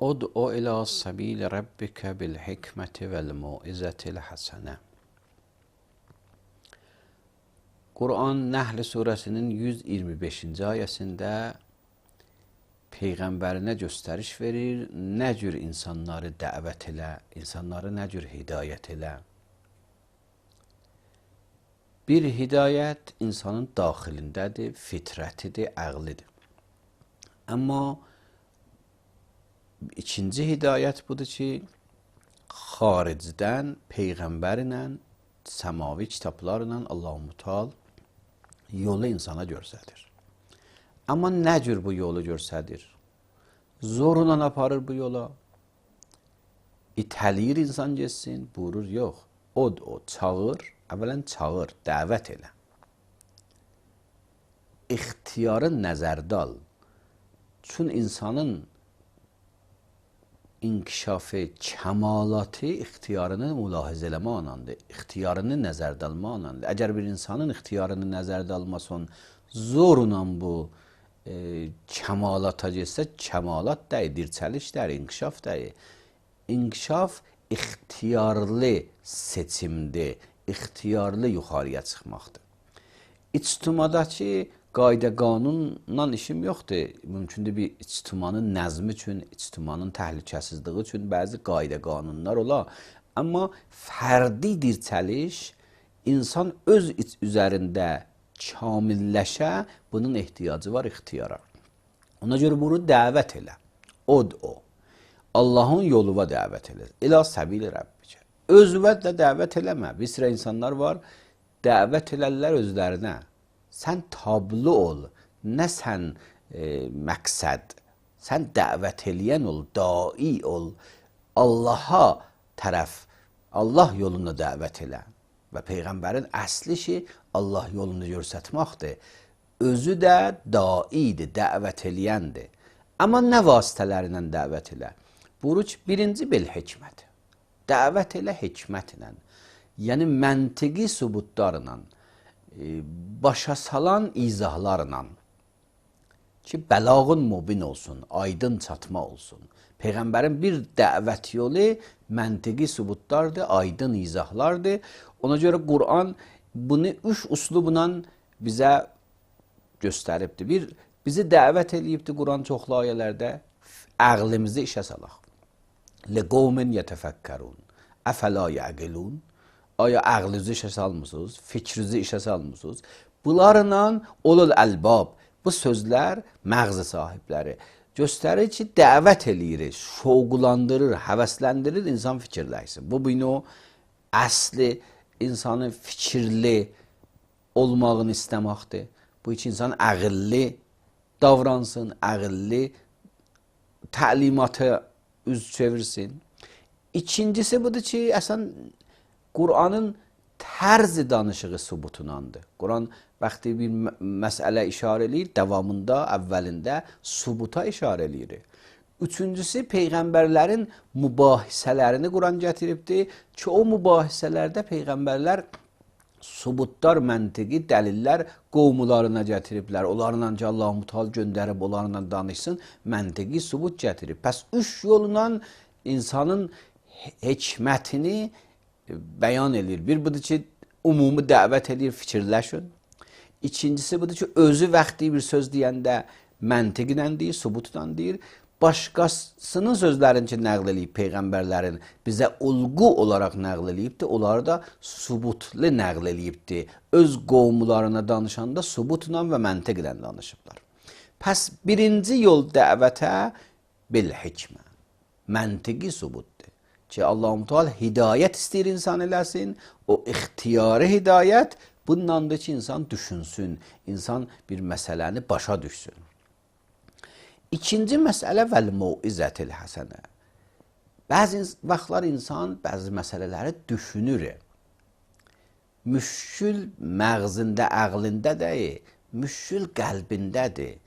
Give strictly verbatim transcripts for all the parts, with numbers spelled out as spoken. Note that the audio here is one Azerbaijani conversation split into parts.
Ud'u ila sabili rabbike bil hikmeti vel mau'izetil hasene. Kur'an Nəhl suresinin yüz iyirmi beşinci ayəsində Peyğəmbərinə göstəriş verir, nə cür insanları dəvət elə, insanları nə cür hidayət elə. Bir hidayət insanın daxilindədir, fitrətidir, əqlidir. Amma ikinci hidayət budur ki, xaricdən Peyğəmbərlə, səmavi kitablarla Allah-u Müteal yolu insana göstərir. Amma nə cür bu yolu göstərir? Zorla aparır bu yola. İtəliyir insan geçsin, buyurur, yox. Od o, çağır, əvvələn çağır, dəvət elə. İxtiyarı nəzərdə al. Çün insanın inkişafı, kəmalatı ixtiyarını mülahizə eləmə anandır. İxtiyarını nəzərdə alma anandır. Əgər bir insanın ixtiyarını nəzərdə almasın, zorla bu e, kəmalata getsə, kəmalat deyil, dirçəliş deyil, inkişaf deyil. İnkişaf ixtiyarlı seçimdir, ixtiyarlı yuxarıya çıxmaqdır. İctimadakı qayda qanunla işim yoxdur. Mümkündür bir ictimanın nəzmi üçün, ictimanın təhlükəsizliyi üçün bəzi qayda qanunlar ola. Amma fərdi dirçəliş insan öz üzərində kamilləşə, bunun ehtiyacı var ixtiyara. Ona görə bunu dəvət elə. Od o. Allahın yoluna dəvət elə. İlə səbili Rəbbicə. Özünə də dəvət eləmə. Bir sıra insanlar var, dəvət elərlər özlərinə. Sən tablo ol, nə sən e, məqsəd. Sən dəvət eləyən ol, dai ol. Allaha tərəf, Allah yoluna dəvət elə. Və Peyğəmbərin əsli işi Allah yolunu göstərməkdir. Özü də daidir, dəvət eləyəndir. Amma nə vasitələrlə dəvət elə? Buyurur ki, birinci bil hikmət. Dəvət elə hikmətlə. Yəni məntiqi sübutlarla, başa salan izahlarla ki, bəlağın mubin olsun, aydın çatma olsun. Peyğəmbərin bir dəvət yolu məntiqi sübutlardır, aydın izahlardır. Ona görə Qur'an bunu üç uslubla bizə göstəribdir. Bir, bizi dəvət eləyibdir Qur'an çoxlu ayələrdə, əqlimizi işə salaq. لِقَوْمٍ يَتَفَكَّرُونَ أَفَلَا يَعْقِلُونَ Aya əqlinizi işə salmısınız, fikrinizi işə salmısınız. Bunlarla olul əlbab, bu sözlər məğzi sahibləri göstərir ki, dəvət eləyir, şoğulandırır, həvəsləndirir, insan fikirləşsin. Bu bunu əsli insanın fikirli olmağını istəməkdir. Bu iki insan əqilli davransın, əqilli təlimata üz çevirsin. İkincisi budur ki, əsən Qur'anın tərzi danışığı sübutunandır. Qur'an vaxtı bir məsələ işarə eləyir, davamında, əvvəlində sübuta işarə eləyir. Üçüncüsü, Peyğəmbərlərin mübahisələrini Qur'an gətiribdir ki, o mübahisələrdə Peyğəmbərlər sübutlar, məntiqi, dəlillər qovmularına gətiriblər. Onlarla ki, Allah-u Müteal göndərib, onlarla danışsın, məntiqi sübut gətirib. Pəs üç yolla insanın hikmətini bəyan edir. Bir budur ki, ümumi dəvət edir, fikirləşin. İkincisi budur ki, özü vaxtı bir söz deyəndə məntiqlə deyir, sübutla deyir. Başqasının sözlərini ki, nəql eləyib Peyğəmbərlərin bizə ulğu olaraq nəql eləyibdir. Onları da sübutlu nəql eləyibdir. Öz qovmularına danışanda sübutla və məntiqlə danışıblar. Pəs birinci yol dəvətə bil hikmə. Məntiqi sübutdur. Ki, Allah-u Teala hidayət istəyir insan eləsin, o ixtiyari hidayət bundandır ki, insan düşünsün, insan bir məsələni başa düşsün. İkinci məsələ vəl mau'izetil həsənə. Bəzi vaxtlar insan bəzi məsələləri düşünür. Müşkül məğzində, əqlində deyil, müşkül qəlbindədir.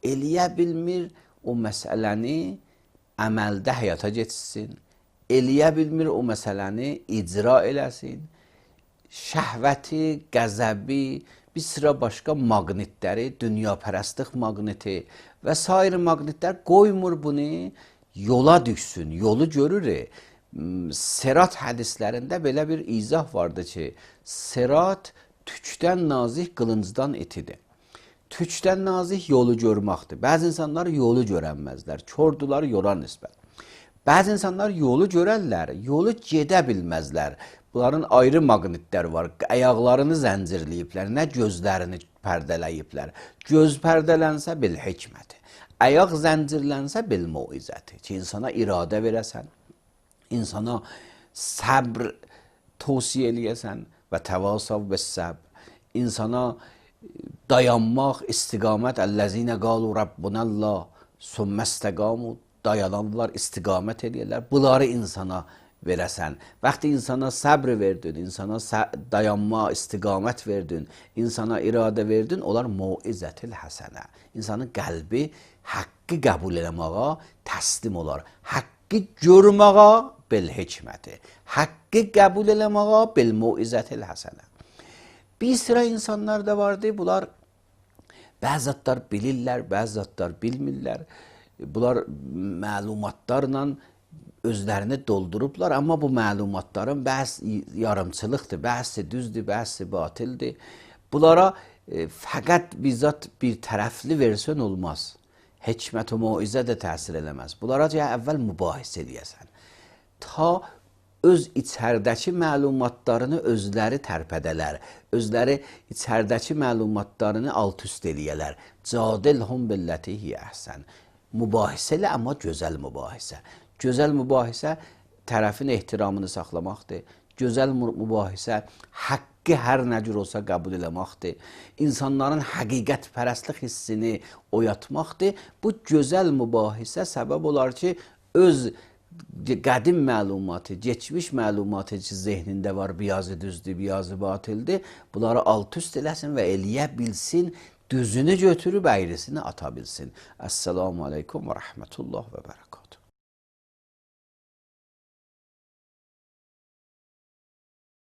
Eləyə bilmir o məsələni əməldə həyata geçsin. Eləyə bilmir o məsələni icra eləsin. Şəhvəti, qəzəbi, bir sıra başqa maqnitləri, dünyapərəstlik maqniti və s. maqnitlər qoymur bunu yola düşsün, yolu görür. Serat hədislərində belə bir izah vardı ki, serat tükdən nazik, qılıncdan etidir. Tükdən nazik yolu görməkdir. Bəzi insanlar yolu görənməzlər, kördular yola nisbət. Bəzi insanlar yolu görərlər, yolu gedə bilməzlər. Bunların ayrı maqnitlər var, ayaqlarını zəncirləyiblər, nə gözlərini pərdələyiblər. Göz pərdələnsə bil hikməti, ayaq zəncirlənsə bil muizəti. Ki, insana iradə verəsən, insana səbr tövsiyə eləyəsən və təvasav və səbr, insana dayanmaq, istiqamət, əl-ləzinə qalu Rabbunəllah, sümmə istəqamu, dayananlar, istiqamət edirlər. Bunları insana verəsən. Vaxtı insana səbr verdin, insana dayanma, istiqamət verdin, insana iradə verdin, onlar muizətil həsənə. İnsanın qəlbi haqqı qəbul eləməyə təslim olar. Haqqı görməyə bil hikməti, haqqı qəbul eləməyə bil muizətil həsənə. Bir sıra insanlar da vardı, bunlar bəzi zatlar bilirlər, bəzi zatlar bilmirlər. Bunlar məlumatlarla özlərini doldurublar, amma bu məlumatların bəzi yarımçılıqdır, bəzi düzdür, bəzi batildir. Bunlara e, fəqət bizzat bir tərəfli versən olmaz. Hikmət və muizə də təsir eləməz. Bunlara cəhə əvvəl mübahisə edəyəsən. Ta öz içərdəki məlumatlarını özləri tərpədələr, özləri içərdəki məlumatlarını alt-üst eləyələr. Cadilhum billəti hiyə əhsən. Mübahisə ilə, amma gözəl mübahisə. Gözəl mübahisə tərəfin ehtiramını saxlamaqdır. Gözəl mübahisə haqqı hər nə cür olsa qəbul eləməkdir. İnsanların həqiqət pərəstlik hissini oyatmaqdır. Bu gözəl mübahisə səbəb olar ki, öz qədim məlumatı, geçmiş məlumatı ki, zehnində var, biyazı düzdür, biyazı batildir. Bunları alt-üst eləsin və eləyə bilsin, düzünü götürüb əyrisini ata bilsin. Əssalamu aleykum və rəhmətullah və bərəkatuhu.